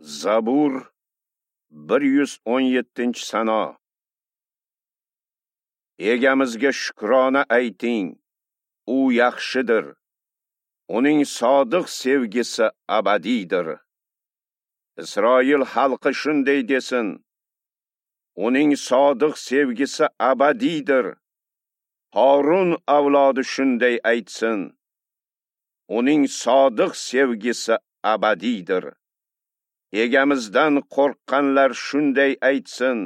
Zabur 117-sano. Egamizga shukrona ayting, u yaxshidir. Uning sodiq sevgisi abadiydir. Isroil xalqi shunday desin: uning sodiq sevgisi abadiydir. Harun avlodi shunday aytsin: uning sodiq sevgisi abadiydir. Egamizdan qo'rqqanlar shunday aytsin: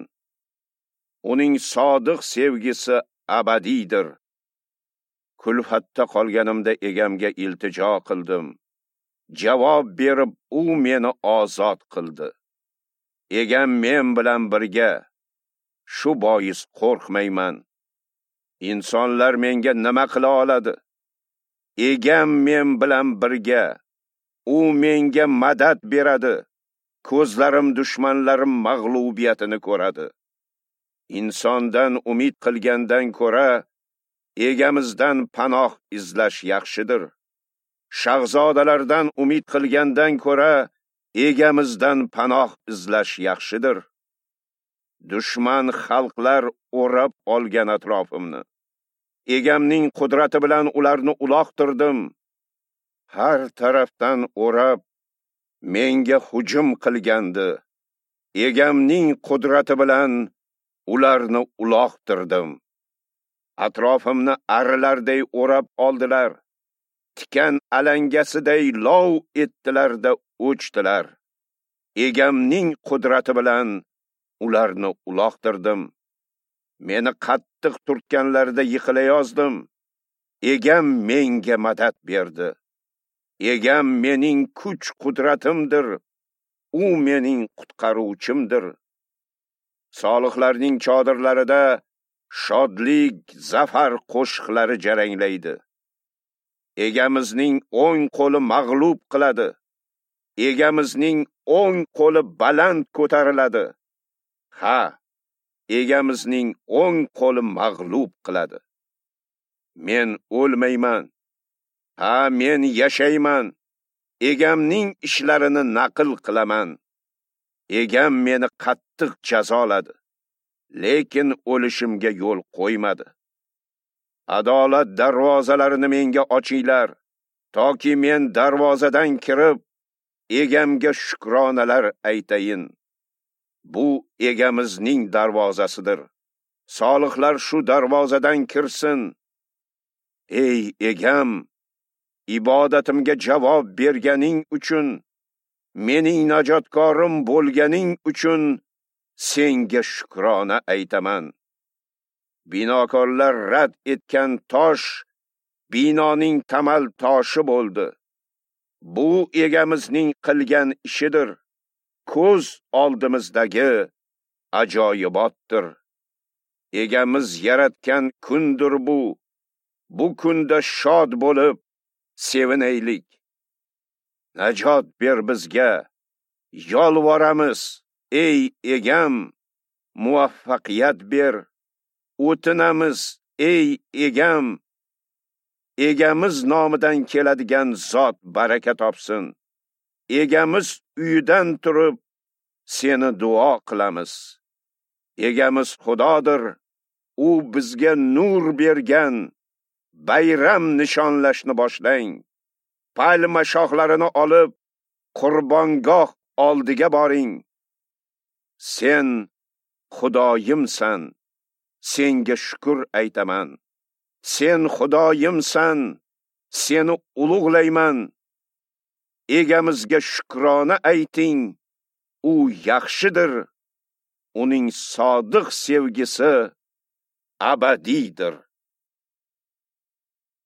uning sodiq sevgisi abadiydir. Kulfatda qolganimda egamga iltijo qildim. Javob berib u meni ozod qildi. Egam men bilan birga, shu bois qo'rqmayman. Insonlar menga nima qila oladi? Egam men bilan birga, u menga madad beradi. Ko'zlarim dushmanlarim mag'lubiyatini ko'radi. Insondan umid qilgandan ko'ra egamizdan panoh izlash yaxshidir. Shahzodalardan umid qilgandan ko'ra egamizdan panoh izlash yaxshidir. Dushman xalqlar o'rab olgan atrofimni. Egamning qudrati bilan ularni uloqtirdim. Har tarafdan o'rab menga hujum qilgandi. Egamning qudrati bilan ularni uloqtirdim. Atrofimni arilarday o'rab oldilar. Tikan alangasiday lov etdilar-da o'chdilar. Egamning qudrati bilan ularni uloqtirdim. Meni qattiq turtganlarida yiqilayozdim. Egam menga madad berdi. Egam mening kuch qudratimdir. U mening qutqaruvchimdir. Solihlarning chodirlarida shodlik, zafar qo'shiqlari jaranglaydi. Egamizning o'ng qo'li mag'lub qiladi. Egamizning o'ng qo'li baland ko'tariladi. Ha, egamizning o'ng qo'li mag'lub qiladi. Men o'lmayman. Ha, men yashayman. Egamning ishlarini naql qilaman. Egam meni qattiq jazoladi, lekin o'lishimga yo'l qo'ymadi. Adolat darvozalarini menga ochinglar, toki men darvozadan kirib, egamga shukronalar aytayin. Bu egamizning darvozasidir. Solihlar shu darvozadan kirsin. Ey egam, ibodatimga javob berganing uchun, mening najotkorim bo'lganing uchun senga shukrona aytaman. Binokorlar rad etgan tosh binoning tamal toshi bo'ldi. Bu egamizning qilgan ishidir. Ko'z oldimizdagi ajoyibotdir. Egamiz yaratgan kundir bu. Bu kunda shod bo'lib sevinaylik. Najot ber bizga, yolvoramiz, ey egam, muvaffaqiyat ber. O'tinamiz, ey egam, egamiz nomidan keladigan zot baraka topsin. Egamiz uyidan turib seni duo qilamiz. Egamiz Xudodir, u bizga nur bergan. Bayram nishonlashni boshlang. Palma shoxlarini olib, qurbongoh oldiga boring. Sen Xudoyimsan, senga shukr aytaman. Sen Xudoyimsan, seni ulug'layman. Egamizga shukrona ayting, u yaxshidir. Uning sodiq sevgisi abadiydir.